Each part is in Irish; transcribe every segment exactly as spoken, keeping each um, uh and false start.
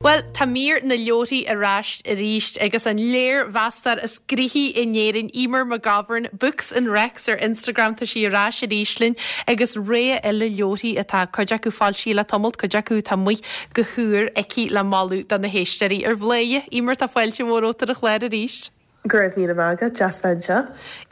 Bhuel, tá mír na leabharthaí ar ais arís agus an léirmheastóir is gnoithí in Éirinn Eimear McGovern, Books and Recs ar Instagram tá sí ar ais arís linn agus rogha eile leabharthaí atá cuid acu foilsithe le tamall cuid acu atá amuigh go húr aici le moladh do na héisteoirí ar bhlaoithe. Eimear tá fáilte mhór romhat ar an chlár arís. Go raibh míle maith agat deas bheith anseo.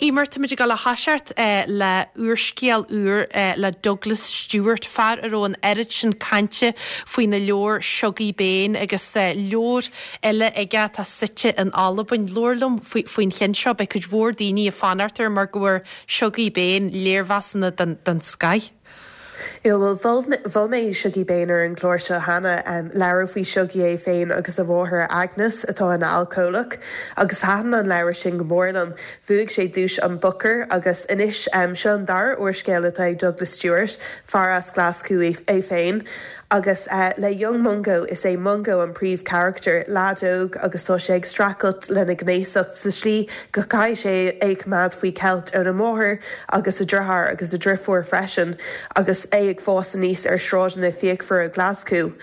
Eimear táimid ag dul a thoiseacht eh, le úrscéal úr eh, le Douglas Stuart fear a raibh an oiread sin cainte faoina leabhar Shuggie Bain agus eh, leabhar eile aige atá suite in Albain labhair liom faoin cheann seo beidh cuid mhór daoine ag fanacht air mar go bhfuair Shuggie Bain léirmheasanna den, den scoth. Bhuel mhol mé Shuggie Bain ar an gclár seo cheana um, leabhar faoi Shuggie é féin agus a mháthair Agnes atá ina alcólach agus thaitin an leabhar sin go mór liom. Bhuaigh sé duais an Booker agus anois um, seo an dara úrscéal atá ag Douglas Stuart, fear as Glaschú é féin. agus uh, le Young Mungo is é Mungo an príomhcharachtar leaid óg agus tá sé ag streachailt lena ghnéasacht sa slí go gcaithfidh sé é choimeád faoi cheilt óna mháthair agus a dheartháir agus a dheirfiúr freisin agus é ag fás aníos ar sráideanna fíochmhara Glaschú.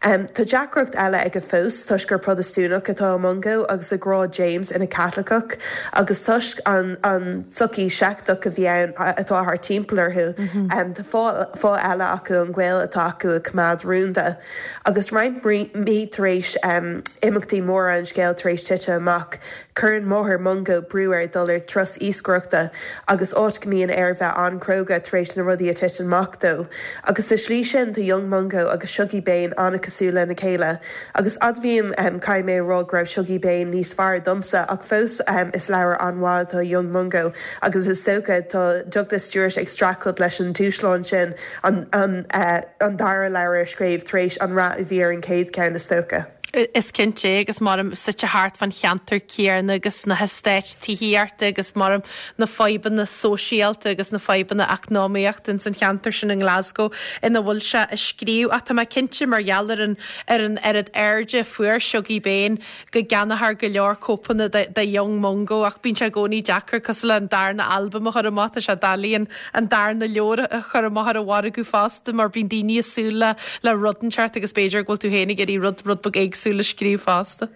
Um, tá deacracht eile aige fós toisc gur Protastúnach atá Mungo agus a ghrá James ina Chaitliceach agus toisc an, an tsochaí seicteach a bhí ann atá thart timpeall orthu. Mm -hmm. um, Tá fáth eile acu an gaol atá acu a choimeád rúnda. Agus roinnt mí tar éis um, imeachtaí móra an scéil tar éis titim amach, cuireann máthair Mungo brú air dul ar turas iascaireachta agus áit go mbíonn air bheith an-chróga tar éis na rudaí a thiteann amach dó. Agus sa slí sin tá Young Mungo agus Shuggie Bain an-chosúil lena chéile. Agus admhaím um, caithfidh mé rá go raibh Shuggie Bain níos fearr domsa ach fós um, is leabhar an-mhaith atá Young Mungo agus is dócha tá Douglas Stuart ag streachailt leis an dúshlán sin an, an, uh, an dara leabhar a scríobh tar éis an rath a bhí ar an chéad cheann is dócha. Is cinnte agus mar suite thart fán cheantar céanna agus na heastáit tithíochta agus mar na fadhbanna sóisialta agus na fadhbanna eacnamaíochta in san cheantar sin in Glasgow ina bhfuil sé a scríobh ach tá mé cinnte mar gheall ar an ar an oiread airde a fuair Shuggie Bain go gceannófar go leor cóipeanna de, de Young Mungo ach bíonn sé i gcónaí deacair cosúil le an darna albam a chur amach sé doiligh an darna leabhar a chur amach ar an mhargadh fosta mar bíonn daoine ag súil le le rud inteacht agus b'fhéidir go bhfuil tú féin ag iarraidh rud rud beag éagsúil a scríobh fosta.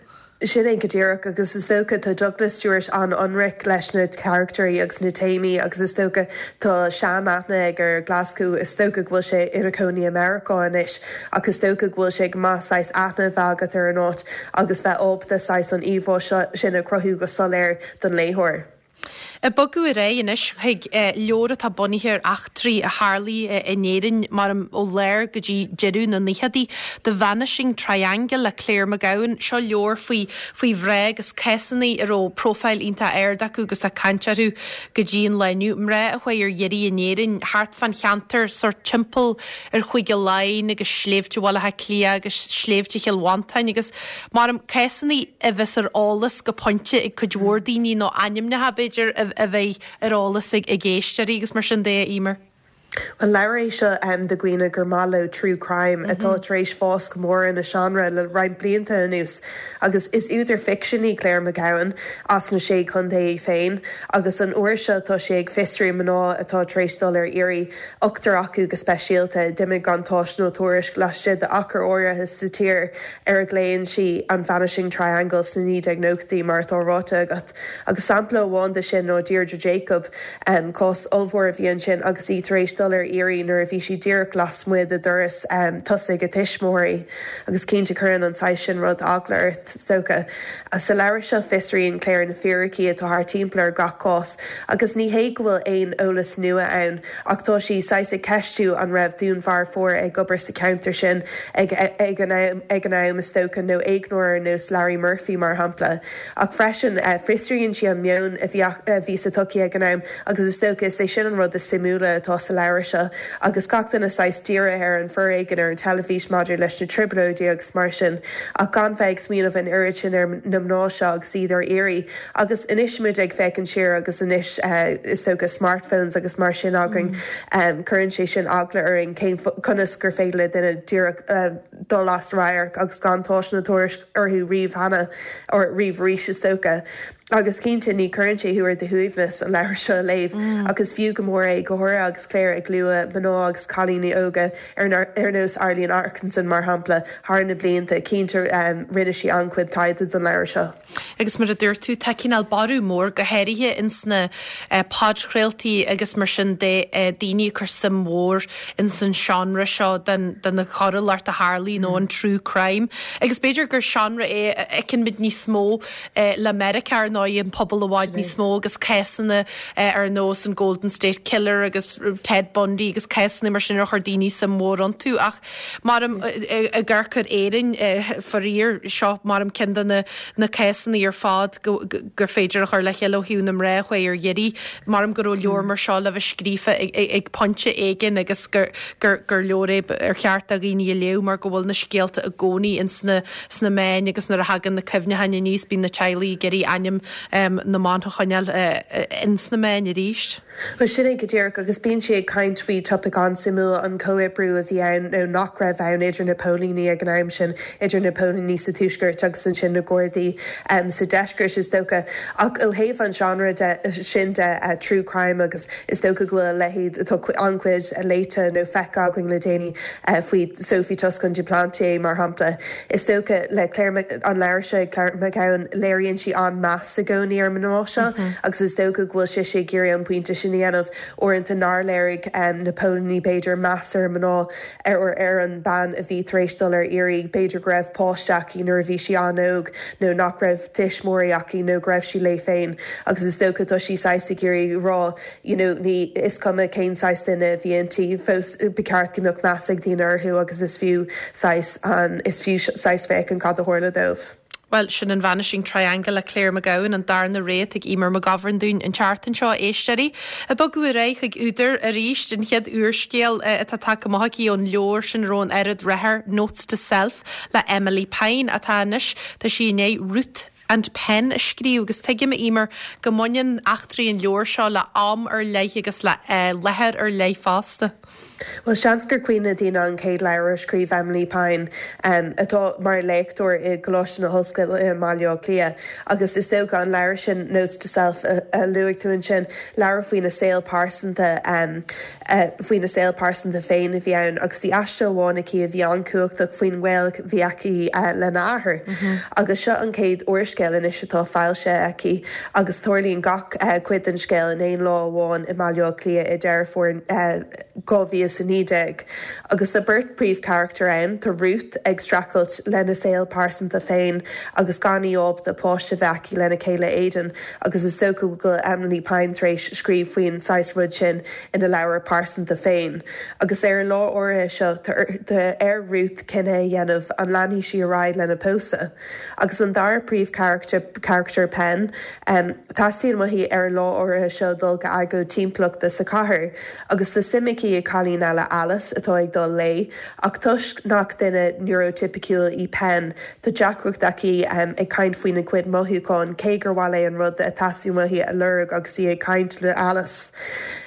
Sin é go díreach agus is dócha tá Douglas Stuart an-ionraic leis na carachtair agus na téamaí agus is dócha tá seanaithne aige ar Glasgow is dócha go bhfuil sé ina chónaí i Meiriceá anois agus is dócha go bhfuil sé go maith saghas aithne bheith agat ar an áit agus bheith ábalta saghas an íomhá sin a chruthú go soiléir don léitheoir. Ag bogadh ar aghaidh anois chuig leabhar atá bunaithe ar eachtraí a tharla in Éirinn mar ó lár go dtí deireadh na nóchaidí The Vanishing Triangle le Claire McGowan seo leabhar faoi faoi mhná agus cásanna a raibh profile iontach ard acu agus tá caint orthu go dtí an lá inniu. Mná a chuaigh ar iarraidh in Éirinn thart fán cheantar sórt timpeall ar Chúige Laighean agus sléibhte Bhaile Átha Cliath agus sléibhte Chill Mhantáin agus mar cásanna a bheas ar eolas go pointe ag cuid mhór daoine nó ainmneacha b'fhéidir a bheidh ar eolas ag ag éisteoirí agus mar sin de Eimear. An leabhar é seo um, do dhaoine gur maith leo true crime mm -hmm. atá tar éis fás go mór ina seánra le roinnt blianta anuas. agus is údar ficsin í Claire McGowan as na sé chontae féin, agus an uair seo tá sé ag fiosrú mná atá tar éis dul ar iarraidh ochtar acu go speisialta d'imigh gan tásc nó tuairisc laistigh d'achar áirithe sa tír ar a nglaonn sí an Vanishing Triangle sna naoi déag nóchaidí mar atá ráite agat. Agus sampla amháin de sin ná Deirdre Jacob um, cás ollmhór a bhí ansin agus í tar éis dul ar iarraidh nuair a bhí sí díreach lasmuigh de doras um, tosaigh a tuismitheoirí agus cinnte cuireann an saghas sin rud eagla ort is dócha. Sa leabhar seo fiosraíonn Claire na fíricí atá thart timpeall ar gach cás, agus ní hé go bhfuil aon eolas nua ann ach tá sí saghas ag ceistiú an raibh dúnmharfóir ag obair sa cheantar sin ag, ag an am, ag an am is dócha nó éigneoir nós Larry Murphy mar shampla. Ach freisin uh, fiosraíonn sí an meon a bhí sa tsochaí ag an am agus is dócha is é sin an rud is suimiúla atá sa leabhar seo agus gach duine saghas dírithe ar an bhforéigean ar an teilifís maidir leis na trioblóidí agus mar sin ach gan bheith ag smaoineamh an oiread sin ar na mná seo agus iad ar iarraidh agus anois muid ag féachaint siar agus anois uh, is dócha smartphones agus mar sin againn mm. um, cuireann sé sin eagla orainn cén conas gur féidir le duine díreach uh, dul as radharc agus gan tásc ná tuairisc orthu riamh cheana or riamh arís is dócha. Agus cinnte ní chuireann sé thú ar do shuaimhneas an leabhar seo a léamh mm. agus fiú go mór é go háirithe agus Claire ag lua mná agus cailíní óga ar ar nós Arlene Atkinson mar shampla thar na blianta cinnte um, rinne sí an-chuid taighde don leabhar seo. Agus mar a dúirt tú tá cineál borradh mór go háirithe ins na eh, podchraoltaí agus mar sin de eh, daoine cur suim mhór ins an seánra seo den den na choiriúlacht a tharlaíonn nó an true crime. Agus b'fhéidir gur seánra é a fheiceann muid níos mó eh, le Meiriceá ná an pobal i bhfad níos mó agus cásanna eh, ar nós an Golden State Killer agus Ted Bundy agus cásanna mar sin ar chuir daoine suim mhór iontu ach mar i gcorcair éin faraor seo mar am ceann de na na cásanna ar fad gur féidir a chur le chéile ó thaobh na mná ar dheireadh mar go raibh leabhar mar seo le bheith scríofa ag pointe éigin agus gur gur leabhar é ar cheart do dhaoine a léamh mar go bhfuil na scéalta i gcónaí ins na sna meáin agus nuair a thagann na cuimhneacháin aníos bíonn na teaghlaigh ag iarraidh ainm um, na mban a choinneáil uh, ins na meáin arís. Well sin é go díreach agus bíonn sé ag caint faoi topic an-suimiúil an comhoibriú a bhí ann nó nach raibh ann idir na póilíní ag an am sin idir na póilíní sa tuaisceart agus ansin na Gardaí um, sa deisceart is dócha ach ó thaobh an genre de sin de uh, true crime agus is dócha go bhfuil a leithéid atá an-chuid léite nó feicthe againn le déanaí uh, faoi Sophie Toscan du Plantier mar shampla. Is dócha le Claire an leabhar seo Claire McGowan léiríonn sí an meas i gcónaí ar mná seo mm -hmm. agus is dócha go bhfuil sé sé ag iarraidh an pointe sin a dhéanamh uaireanta nár léirigh um, na póilíní b'fhéidir meas ar mná ar ar an bean a bhí tar éis dul ar iarraidh b'fhéidir go raibh páiste aici nuair a bhí sí an-óg nó nach raibh tuismitheoirí aici nó go raibh sí léi féin agus is dócha tá sí saghas ag iarraidh rá you know, ní is cuma cén saghas duine a bhí inti fós ba cheart go mbeadh meas ag daoine orthu agus is fiú saghas an is fiú saghas féachaint cad a tharla dóibh. Well sin an Vanishing Triangle le Claire McGowan an darna réad ag Eimear McGovern dúinn an tseachtain seo éisteoirí. Ag bogadh ar aghaidh chuig údar arís den chéad úrscéal atá tagtha amach aici ón leabhar sin ón oiread ratha Notes to Self le Emilie Pine atá anois tá sí i ndiaidh Ruth and Pen a scríobh agus tuigim Eimear go mbaineann eachtraí an leabhar seo le am ar leith agus le uh, láthair ar leith fosta. Well seans gur cuimhin le daoine an chéad leabhar a scríobh Emilie Pine um, atá mar léachtóir i gColáiste na hOllscoile i mBaile Átha Cliath agus is dócha an leabhar sin Notes to Self a, a luaigh tú ansin leabhar faoina saol pearsanta um, uh, faoina saol pearsanta féin a bhí ann agus bhí aiste amháin aici a bhí an-chumhachtach faoin ngaol a bhí aici uh, lena athair. Mm -hmm. Agus seo an chéad úrscéal anois atá foilsithe aici agus tarlaíonn gach uh, cuid den scéal in aon lá amháin i mBaile Átha Cliath i Deireadh Fómhair uh, dhá mhíle is a naoi déag. Agus tá beirt príomhcharachtar ann tá Ruth ag streachailt lena saol pearsanta féin agus gan í ábalta páiste bheith aici lena céile Aidan agus is dócha go Emilie Pine tar éis scríobh faoin saghas rud sin ina leabhar pearsanta féin. Agus ar an lá áirithe seo tá ar Ruth cinneadh a dhéanamh an leanfaidh sí ar aghaidh lena pósadh. Agus an dara príomhcharachtar charachtar Pen um, teastaíonn uaithi ar an lá áirithe seo dul go agóid timpeallachta sa chathair, agus tá suim aici i gcailín eile Alice atá ag dul léi, ach toisc nach duine neurotypical í Pen tá deacracht aici um, ag caint faoina cuid mothúchán cé gur mhaith léi an rud a theastaíonn uaithi a lorg agus í ag caint le Alice.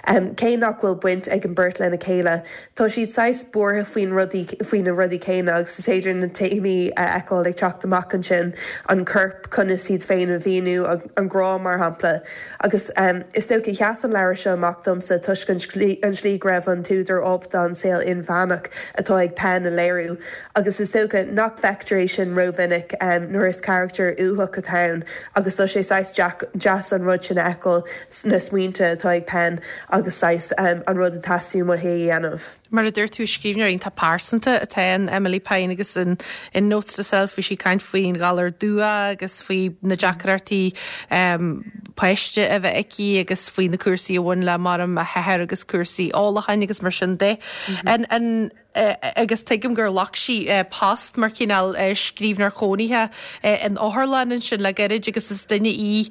Um, cé nach bhfuil baint ag an mbeirt lena chéile, Tá siad saghas buartha faoin rudaí faoi na rudaí céanna agus is féidir na téamaí a fheiceáil ag teacht amach ansin an corp conas iad féin a mhíniú an grá mar shampla. Agus um, is dócha sheas an leabhar seo amach domsa toisc an slí go raibh an t-údar ábalta an saol inmheánach atá ag Pen a léiriú. Agus is dócha nach bhfeictear é sin rómhinic um, nuair is carachtar uathach atá ann, agus tá sé saghas deas an rud sin a fheiceáil na smaointe atá ag Pen agus saghas um, an rud a theastaíonn uaithi a dhéanamh. Mar a dúirt tú scríbhneoir iontach pearsanta atá in Emilie Pine agus in, in Notes to Self bhí sí ag caint faoin ghalar dubhach agus faoi na deacrachtaí um, páiste a bheith aici agus faoi na cúrsaí a bhain le mar a hathair agus cúrsaí ólacháin agus mar sin de. Mm -hmm. an, an, Uh, agus tuigim gur ghlac sí uh, post mar cineál uh, scríbhneoir cónaithe in otharlann ansin le gairid agus is duine í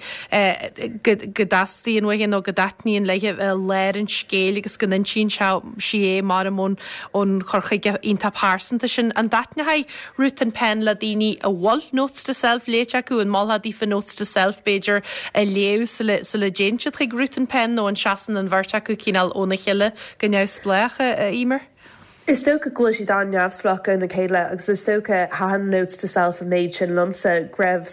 go dteastaíonn uaithi nó go dtaitníonn léi léir an scéil agus go n-insíonn sí é mar ón ón chur chuige iontach pearsanta sin an dtaitneoidh Ruth and Pen le daoine a bhfuil Notes to Self léite acu an molfá daofa Notes to Self b'fhéidir a léamh sula dtéann siad chuig Ruth and Pen nó an seasann an bheirt acu cineál óna chéile go neamhspleách a Eimear? Is dócha go bhfuil siad an-neamhspleách óna chéile agus is dócha thaitin Notes to Self an méid sin liomsa go raibh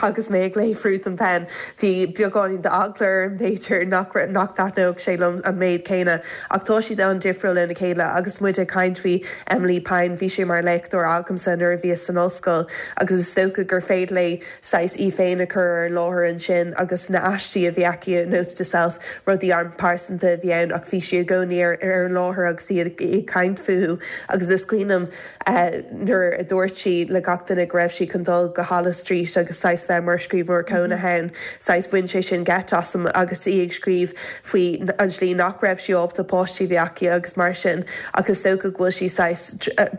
agus mé ag léamh Ruth and Pen bhí beagáinín d'eagla orm b'fhéidir nach nach dtaitneodh sé liom an méid céanna ach tá siad an-difriúil óna chéile agus muid ag caint faoi Emilie Pine bhí sí mar léachtóir agamsa nuair a bhíos san ollscoil agus is dócha gur féidir léi saghas í féin a chur ar láthair ansin agus na haistí a bhí aici Notes to Self rudaí an-phearsanta a bhí ann ach bhí sí i gcónaí ar ar an láthair agus iad ag caint fúthu agus is cuimhin liom nuair a dúirt sí le gach duine go raibh sí chun dul go Holles Street agus saghas bheith mar scríbhneoir cónaithe ann saghas bhain sé sin geit asam agus í ag scríobh faoi an slí nach raibh sí ábalta páistí a bheith aici agus mar sin agus dócha go bhfuil sí saghas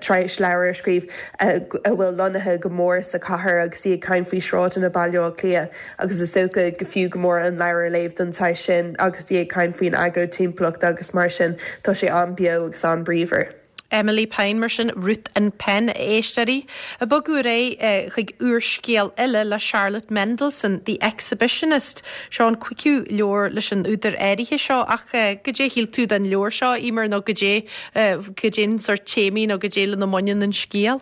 tar éis leabhar a scríobh a bhfuil lonnaithe go mór sa chathair agus í ag caint faoi sráideanna Baile Átha Cliath agus is dócha go fiú go mór an leabhar a léamh don saghas sin agus í ag caint faoin agóid timpeallachta agus mar sin tá sé an-bheo agus an-bhríomhar. Emilie Pine mar sin Ruth and Pen éisteoirí. Ag bogadh ar aghaidh chuig úrscéal eile le Charlotte Mendelson, The Exhibitionist, seo an cúigiú leabhar leis an údar áirithe seo ach goidé shíl tú den leabhar seo Eimear nó goidé goidé an sórt téamaí nó goidé lena mbaineann an scéal.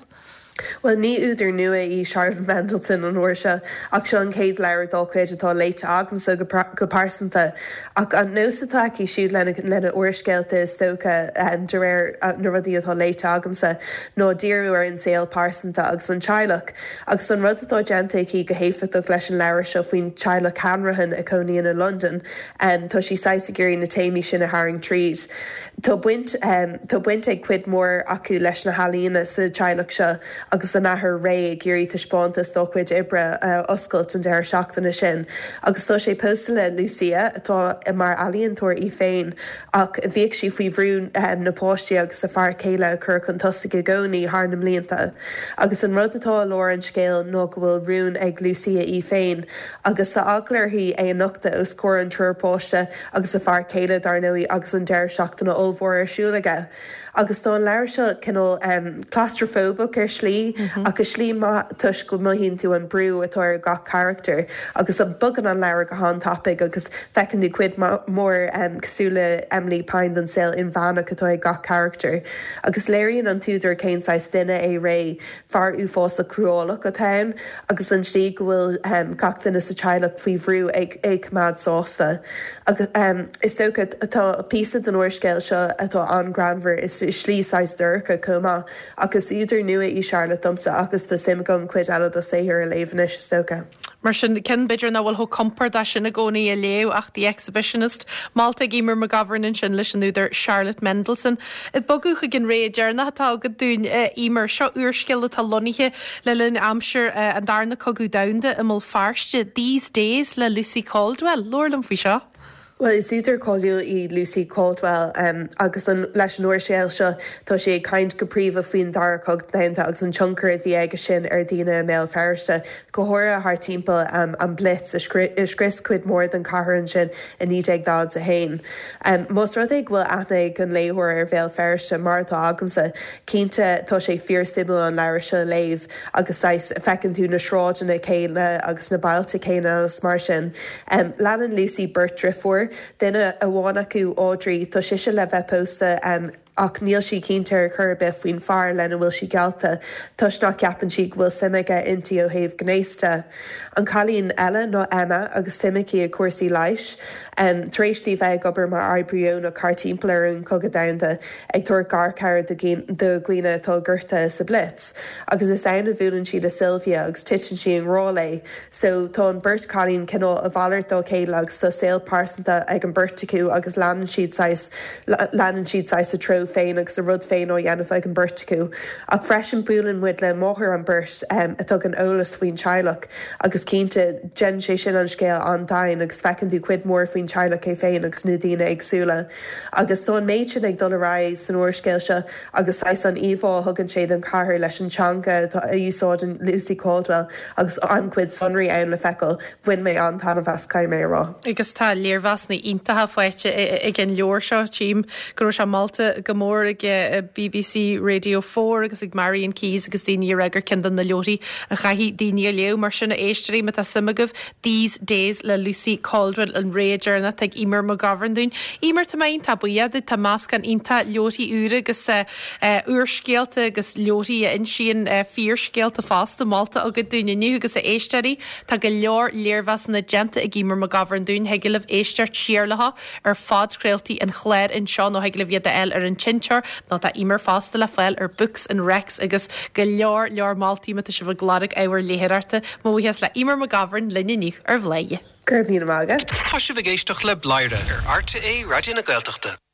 Well ní údar nua í Charlotte Mendelson an uair seo ach seo an chéad leabhar dá cuid atá léite agamsa go, go pearsanta ach an nós atá aici siúd lena lena úrscéalta is dócha um, de réir uh, na rudaí atá léite agamsa ná díriú ar an saol pearsanta agus an teaghlach agus an rud atá déanta aici go héifeachtach leis an leabhar seo faoin teaghlach Hanrahan a chónaíonn i London um, tá sí saghas ag iarraidh na téamaí sin a tharraingt tríd. Tá baint um, tá baint ag cuid mór acu leis na healaíona sa teaghlach seo agus an t-athair Ray ag iarraidh taispeántas dá chuid oibre uh, oscailt an deireadh seachtaine sin. agus tá sé pósta le Lucia atá mar ealaíontóir í féin ach bhíodh sí faoi bhrú um, na páistí agus a fear céile a chur chun tosaigh i gcónaí thar na mblianta. Agus an rud atá i lár an scéil ná go bhfuil rún ag Lucia í féin, agus tá eagla uirthi é a nochtadh os comhair an triúr páiste agus a fear céile dar ndóigh agus an deireadh seachtaine ollmhór ar siúl aige. Agus tá an leabhar seo cineál um, claustrophobic ar slí mm -hmm. agus slí maith toisc go mothaíonn tú an brú atá ar gach character agus a bogann an leabhar go han-tapaidh agus feiceann tú cuid mór um, cosúil le Emilie Pine den saol inmheánach atá ag gach character. Agus léiríonn an t-údar cén saghas duine é Ray fear uafásach cruálach atá ann agus an slí go bhfuil um, gach duine sa teaghlach faoi bhrú ag ag coimeád sásta. Agus um, is dócha atá píosa den úrscéal seo atá an-ghreannmhar is slí saghas dorcha chomh maith agus údar nua í Charlotte domsa agus tá suim agam cuid eile dá saothar a léamh anois is dócha. Mar sin ceann b'fhéidir nach bhfuil chomh compordach sin i gcónaí a léamh ach The Exhibitionist. Molta ag Eimear McGovern sin leis an údar Charlotte Mendelson. Ag bogadh chuig an rogha deireanach atá agat dúinn Eimear seo úrscéal atá lonnaithe le linn aimsir an darna cogadh domhanda i mBéal Feirste These Days le Lucy Caldwell, Labhair liom faoi seo. Well is údar cáiliúil í Lucy Caldwell um, agus an, leis an úrscéal seo tá sé ag caint go príomha faoin dara cogadh domhanda agus an tionchar a bhí aige sin ar dhaoine i mBéal Feirste go háirithe thar timpeall um, an Blitz a scrios cuid mór den chathair ansin i naoi déag daichead a haon. Um, Más rud é go bhfuil aithne ag an léitheoir ar Bhéal Feirste mar atá agamsa cinnte tá sé fíorsuimiúil an leabhar seo a léamh agus feiceann tú na sráideanna céanna agus na bailte céanna agus mar sin. Um, Leanann Lucy beirt deirfiúr duine amháin acu Audrey tá sise le bheith pósta um, ach níl sí cinnte ar chor ar bith faoin fear lena bhfuil sí geallta, toisc nach gceapann sí go bhfuil suim aige inti ó thaobh gnéasta. An cailín eile ná Emma agus suim aici i gcúrsaí leighis, um, tar éis di bheith ag obair mar oibrí deonach thar timpeall ar an cogadh domhanda ag tabhairt garchabhair do dhaoine atá gortaithe sa Blitz. Agus is ann a bhuaileann sí le Sylvia agus titeann sí i ngrá léi, so tá an beirt cailín cineál a mhalairt dá chéile agus tá saol pearsanta ag an beirt acu agus leanann siad leanann siad saghas a treo féin agus a rud féin á dhéanamh ag an beirt acu. Ach freisin buaileann muid le máthair an beirt um, a thugann eolas faoin teaghlach agus cinnte déanann sé sin an scéal an-domhain agus feiceann tú cuid mór faoin teaghlach é féin agus na daoine éagsúla. Agus tá an méid sin ag dul ar aghaidh san úrscéal seo agus saghas an íomhá a thugann sé den chathair leis an teanga a úsáideann Lucy Caldwell agus an-chuid sonraí ann le feiceáil bhain mé an-taitneamh as caithfidh mé a rá. Agus tá léirmheasanna iontacha faighte ag an leabhar seo tím go raibh sé molta go go mór ag BBC Radio four agus ag Marian Keyes agus daoine ag rá gur ceann de na leabharthaí a chaithfidh daoine a léamh. Mar sin, a éisteoirí, má tá suim agaibh, These Days le Lucy Caldwell an rogha deireanach ag Eimear McGovern dúinn. Eimear, tá mé iontach buíoch duit. Tá meascán iontach leabharthaí úra agus úrscéalta agus leabharthaí a insíonn fíorscéalta fosta molta agat dúinn inniu. Agus a éisteoirí, tá go leor léirmheasanna déanta ag Eimear McGovern dúinn. Thig libh éisteacht siar leo ar phodchraoltaí an chláir anseo nó thig libh iad a fháil ar an seinnteoir, nó tá Eimear fosta le fáil ar Books and Recs agus go leor leor moltaí má tá sibh ag lorg ábhar léitheoireachta. Mo bhuíochas le Eimear McGovern linn inniu ar Bhladhaire. Go raibh míle maith agat. Tá sibh ag éisteacht le Bladhaire ar R T É Raidió na Gaeltachta.